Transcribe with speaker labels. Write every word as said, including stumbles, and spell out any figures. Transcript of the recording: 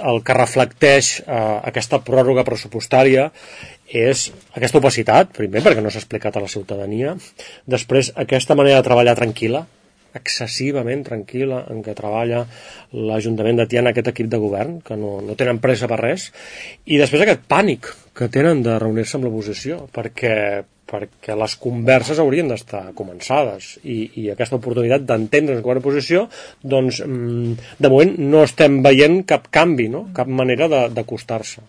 Speaker 1: el que reflecteix eh, aquesta pròrroga pressupostària és aquesta opacitat, primer perquè no s'ha explicat a la ciutadania, després aquesta manera de treballar tranquil·la, excessivament tranquil·la en què treballa l'Ajuntament de Tiana, aquest equip de govern, que no, no tenen pressa per res, i després aquest pànic que tenen de reunir-se amb l'oposició, perquè, perquè les converses haurien d'estar començades, i, i aquesta oportunitat d'entendre's com a oposició, doncs de moment no estem veient cap canvi, no? Cap manera d'acostar-se.